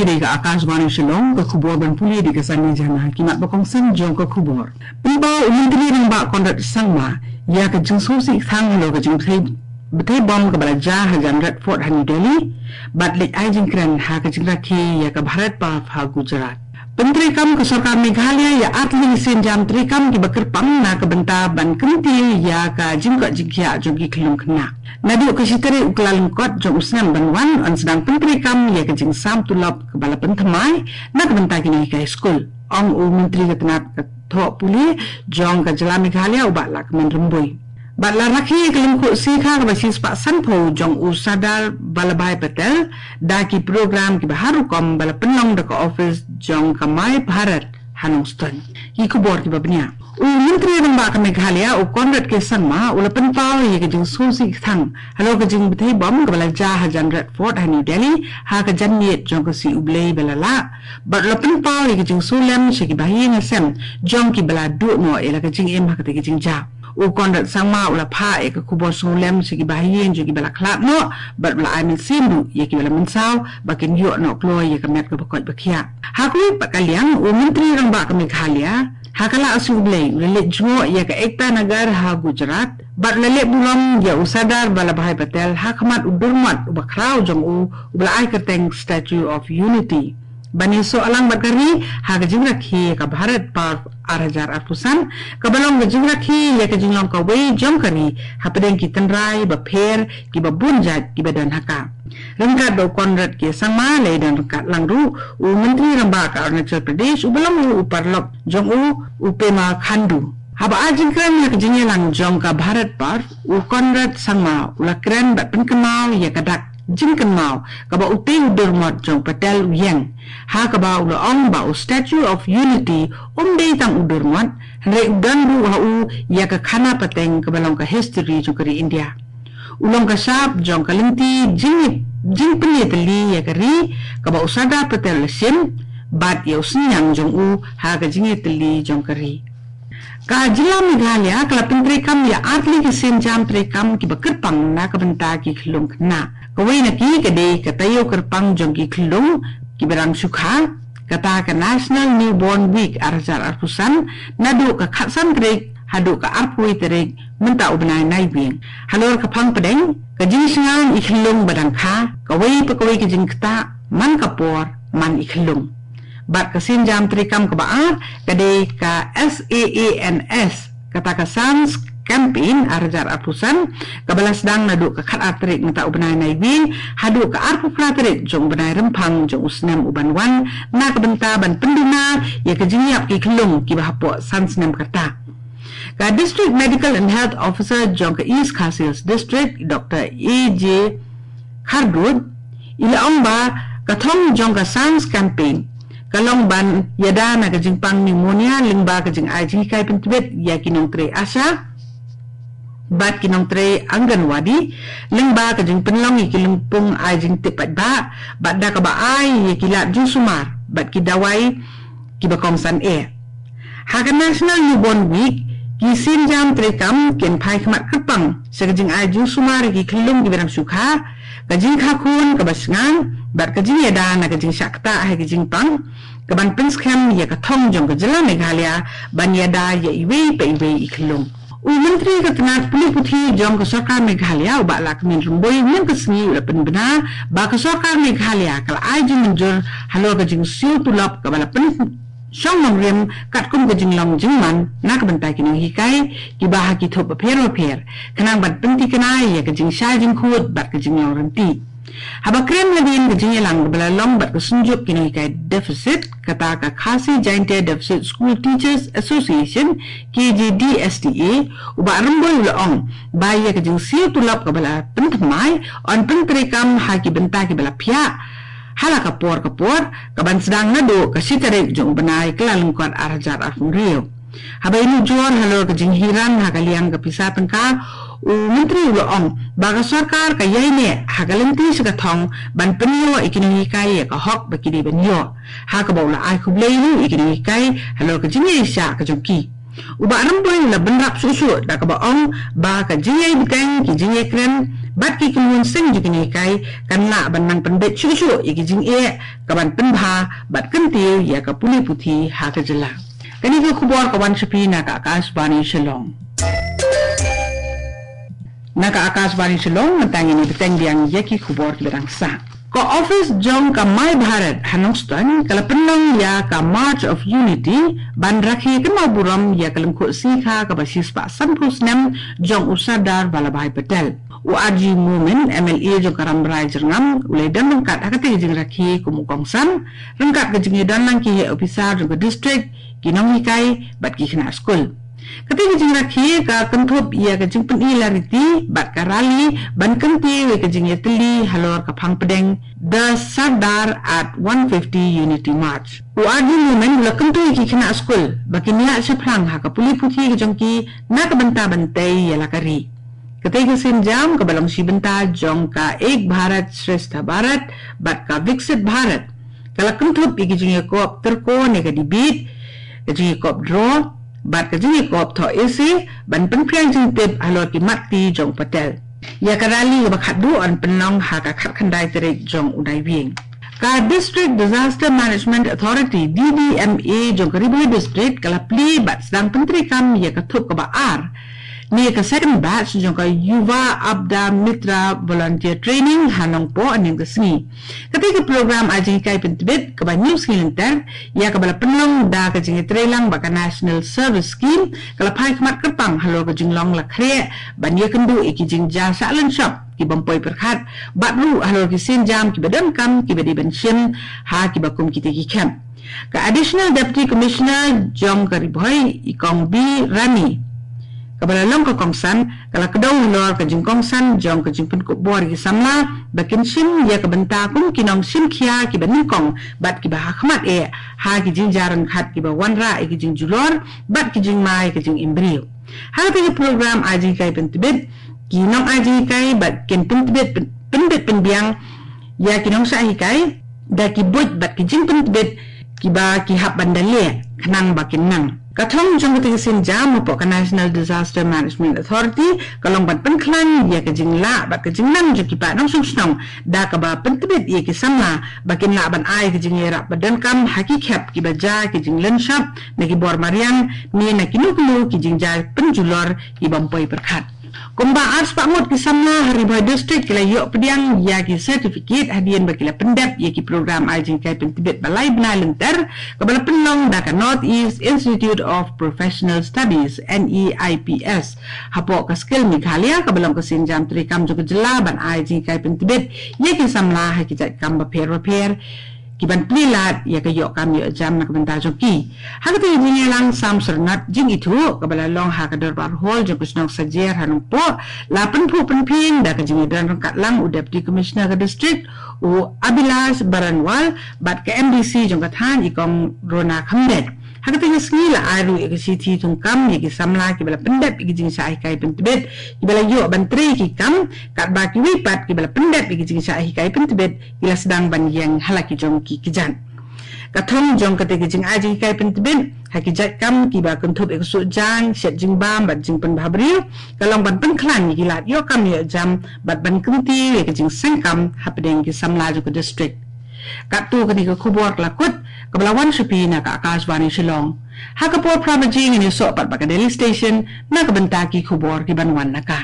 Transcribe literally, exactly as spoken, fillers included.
Kine ka Akashvani Shillong, ka khubor ban pule da ka Sani Jana, ki mat ba kongsan jong ka khubor. Pynpaw u Myntri Rangbah Conrad Sangma ïa ka jingsngewsih tang halor ka jingbthei bom kaba la jia ha Jan Redford ha New Delhi, bad leit ai jingkren ha ka jingrakhe ïa ka Bharat Parv ha Gujarat. Pyntreikam ka sorkar Meghalaya ïa artylli ki sienjam treikam kiba kyrpang na ka bynta ban kyntiew ïa ka jingkoit jingkhiah jong ki khyllung khynnah. Naduh ka shi tarik u Kyllalyngkot jong u snem ban wan, yn sdang pyntreikam ïa ka jingsam tulop kaba la pynthymmai na ka bynta ki nonghikai skul, ong u Myntri ka tnat ka thoh pule jong ka jylla Meghalaya, u Bah Lahkmen Rymbui. Bad la rakhe ïa ka lyngkhuh sikha kaba shispah sanphew jong u Sardar Vallabhbhai Patel da ki program kiba har rukom ba la pynlong da ka ophis jong ka My Bharat ha Nongstoiñ. Ki khubor kiba bniah. U Myntri Rangbah ka Meghalaya, u Conrad K Sangma, u la pynpaw ïa ka jingsngewsih tang halor ka jingbthei bom kaba la jia ha Jan Redford ha New Delhi ha ka janmiet jong ka sngi U Blei ba la lah, bad u la pynpaw ïa ka jingsngewlem sha ki bahaïing hasem jong kiba la duh noh ïa la ka jingim ha katei ka jingjia. U Conrad Sangma u la phah ïa ka khubor sngewlem sha ki bahaïing jong kiba la khlad noh, bad u la ai mynsiem ruh ïa kiba la mynsaw ba kin ïoh noh kloi ïa ka met kaba koit ba khiah. Ha kawei pat ka liang, u Myntri Rangbah ka Meghalaya, ha ka la sngi U Blei, u la leit jngoh ïa ka Ekta Nagar ha Gujarat, bad u la leh burom ïa u Sardar Vallabhbhai Patel ha khmat u durmot uba khraw jong u, uba la ai kyrteng Statue of Unity, ban ïasoh lang bad ka ri ha ka jingrakhe ïa ka Bharat Parv ar hajar arphew san, kaba long ka jingrakhe ïa ka jinglong kawei jong ka ri hapdeng ki tynrai bapher kiba bun jait kiba don ha ka. Ryngkat bad u Conrad K Sangma, la ïadon ryngkat lang ruh u Myntri Rangbah ka Arunachal Pradesh, uba long u paralok jong u, u Pema Khandu. Haba ai jingkren ha ka jingïalang jong ka Bharat Parv, u Conrad Sangma u la kren bad pynkynmaw ïa ka dak jingkynmaw kaba utei u durmot jong Patel u ïeng, ha kaba u la ong ba u Statue of Unity um dei tang u durmot, hynrei u don ruh ha u ïa ka khana pateng kaba long ka history jong ka ri India. U long ka shap jong ka lynti jing, jingpynïatylli ïa ka ri kaba u Sardar Patel u la shim, bad ïa u synñiang jong u ha ka jingïatylli jong ka ri. Ka jylla Meghalaya ka la pyntreikam ïa artylli ki sienjam treikam kiba kyrpang na ka bynta ki khyllung khynnah. Kawei na ki ka dei ka taïew kyrpang jong ki khyllung kiba dang shu kha, kata ka National Newborn Week ar hajar arphew san, naduh ka khatsan tarik haduh ka arphew wei tarik mynta u bnai Naiwieng. Halor ka phang pdeng, ka jingshngaiñ i khyllung ba dang kha, kawei pa kawei ka jingktah, man ka por, man i khyllung. Bad ka sienjam treikam kaba ar, ka dei ka SAANS, kata ka Sans Campaign ar hajar arphew san, kaba la sdang naduh ka khatar tarik mynta u bnai Naiwieng haduh ka arphew phra tarik jong u bnai Rymphang jong u snem uban wan, na ka bynta ban pynduna ïa ka jingïap ki khyllung kiba hapoh san snem ka rta. Ka District Medical and Health Officer jong ka East Khasi Hills District, Doctor A J Khardud, i la ong ba ka thong jong ka Sans Campaign ka long ban ïada na ka jingpang pneumonia lyngba ka jingai jinghikai pyntbit ïa ki nongtrei ASHA bad ki nongtrei Anganwadi, lyngba ka jingpynlong ïa ki lympung ai jingtip paidbah, bad da kaba ai ïa ki lad jingsumar bad ki dawai kiba kongsan eh. Ha ka National Newborn Week, ki sienjam treikam kin phai khmat kyrpang sha ka jingai jingsumar ïa ki khyllung kiba dang shu kha, ka jingkha khun kaba shngaiñ, bad ka jingïada na ka jingshah ktah ha ka jingpang, kaban pynskhem ïa ka thong jong ka jylla Meghalaya ban ïada ïa iwei pa iwei i khyllung. U Myntri ka tnat pule puthi jong ka sorkar Meghalaya, u Bah Lahkmen Rymbui, mynne ka sngi u la pynbna ba ka sorkar Meghalaya ka la ai jingmynjur halor ka jingsiew tulop kaba la pynshong nongrim katkum ka jinglong jingman na ka bynta ki nonghikai kiba ha ki thup bapher bapher, khnang ban pynthikna ïa ka jingshai jingkhuid bad ka jinglong rynti. Haba kren hadien ka jingïalang kaba la long bad ka Synjuk ki nonghikai deficit, kata ka Khasi Jaintia Deficit School Teachers Association, K J D S T A, u Bah Rymbui u la ong ba ïa ka jingsiew tulop kaba la pynthymmai yn pyntreikam ha ki bynta kiba la phiah ha la ka por ka por, kaban sdang naduh ka shi tarik jong u bnai Kyllalyngkot ar hajar arphew hynriew. Haba ïanujor halor ka jinghiar ha ka liang ka pisa tyngka, u Myntri u la ong ba ka sorkar ka ïaineh ha ka lynti sha ka thong ban pynïoh ïa ki nonghikai ïa ka hok ba ki dei ban ïoh, ha kaba u la ai khublei ruh ïa ki nonghikai halor ka jingïaishah ka jong ki. U Bah Rymbui u la bynrap shuh shuh da kaba ong ba ka jingïai bteng, ki jingïakren bad ki kynhun seng jong ki nonghikai kan lah ban nang pynbeit shuh shuh ïa ki jingeh kaban pynbha bad kyntiew ïa ka pule puthi ha ka jylla. Kane ka khubor ka wan sha phi na ka Akashvani Shillong. Na ka Akashvani Shillong, mynta ngin ïa bteng biang ïa ki khubor kiba dang sah. Ka office jong ka My Bharat ha Nongstoiñ ka la pynlong ïa ka March of Unity ban rakhe kynmaw burom ïa ka lyngkhuh sngi kha kaba shispah sanphew snem jong u Sardar Vallabhbhai Patel. U R G Momin, M L A jong ka Rambrai Jyrngam, u la ïadon ryngkat ha katei ka jingrakhe kum u kongsan ryngkat ka jingïadon lang ki heh ophisar jong ka district, ki nonghikai bad ki khynnah skul. Katei ka jingrakhe ka kynthup ïa ka jingpyni lariti bad ka rally ban kyntiew ïa ka jingïatylli halor ka phang pdeng The Sardar at one fifty Unity March. U R G Momin u la kyntu ïa ki khynnah skul ba kin ïaid shaphrang ha ka pule puthi ka jong ki na ka bynta ban tei ïa la ka ri. Katei ka sienjam kaba long shi bynta jong ka Ek Bharat Shreshtha Bharat bad ka Viksit Bharat ka la kynthup ïa ka jingïakop tyrko ne ka debate, ka jingïakop draw bad ka jingïakop thoh essay ban pynphriang jingtip halor ki mat kti jong u Patel. Ïa ka rally kaba khatduh yn pynlong ha ka khatkhyndai tarik jong u Naiwieng. Ka District Disaster Management Authority, D D M A, jong ka Ri Bhoi District ka la plie bad sdang pyntreikam ïa ka thup kaba ar ne ka second batch jong ka Yuva Apada Mitra Volunteer Training ha Nongpoh hynnin ka sngi. Katei ka program ai jinghikai pyntbit kaba hynñiew sngi lynter, ïa kaba la pynlong da ka jingïatreilang bad ka National Service Scheme, ka la phai khmat kyrpang halor ka jinglong la khreh ban ïakynduh ïa ki jingjia sah lynshop ki bym poi pyrkhat bad ruh halor ki sienjam kiba donkam kiba dei ban shim ha kiba kum kitei ki khep. Ka Additional Deputy Commissioner jong ka Ri Bhoi, i Kong B Rani, kaba la long ka kongsan, ka la kdew halor ka jingkongsan jong ka jingpynkup bor ïa ki samla ba kin shim ïa ka bynta kum ki nongshim khia kiba nyngkong bad kiba ha khmat eh ha ki jingjia ryngkat kiba wanrah ïa ki jingjulor bad ki jingma ïa ka jingim briew. Ha katei ka program ai jinghikai pyntbit, ki nongai jinghikai bad kin pyntbit pyn-, pynbit pynbiang ïa ki nongshah hikai da ki buit bad ki jingpyntbit kiba ki hap ban da leh khnang ba kin nang. Ka thong jong katei ka sienjam hapoh ka National Disaster Management Authority ka long ban pynkhlaiñ ïa ka jinglah bad ka jingnang jong ki paid nongshong shnong da kaba pyntbit ïa ki samla ba kin lah ban ai ka jingïarap ba donkam ha ki khep kiba jia ki jinglynshop na ki bor mariang ne na kino kino ki jingjia pynjulor ki bym poi pyrkhat. Kumba arspah ngut ki samla ha Ri Bhoi District ki la ïoh pdiang ïa ki certificate hadien ba ki la pyndep ïa ki program ai jinghikai pyntbit ba lai bnai lynter kaba la pynlong da ka North East Institute of Professional Studies, N E I P S, hapoh ka Skill Meghalaya, kaba long ka sienjam treikam jong ka jylla ban ai jinghikai pyntbit ïa ki samla ha ki jait kam bapher bapher ki ban plie lad ïa ka ïoh kam ïoh jam na ka bynta jong ki. Ha katei ka jingïalang sam syrnat jingithuh kaba la long ha ka Dorbar Hall jong ka shnong Sajer ha Nongpoh, la pynphuh pynphieng da ka jingïadon ryngkat lang u Deputy Commissioner ka district, u Abhilash Baranwal, bad ka M D C jong ka thaiñ, i Kong Rona Khamlet. Ha katei ka sngi la ai ruh ïa ka shithi thungkam ïa ki samla kiba la pyndep ïa ki jingshah hikai pyntbit kiba la ïoh ban trei ïa ki kam, katba kiwei pat kiba la pyndep ïa ki jingshah hikai pyntbit ki la sdang ban ïeng ha la ki jong ki kjat. Ka thong jong katei ka jingai jinghikai pyntbit ha ki jait kam kiba kynthup ïa ka suh jaiñ, shet jingbam bad jingpynbha briew ka long ban pynkhlaiñ ïa ki lad ïoh kam ïoh jam bad ban kyntiew ïa ka jingseng kam hapdeng ki samla jong ka district. Katto katne ka khubor ka la kut, kaba la wan sha phi na ka Akashvani Shillong. Ha ka por phra baje ngin ïasoh pat bad ka Delhi Station na ka bynta ki khubor kiban wan na ka.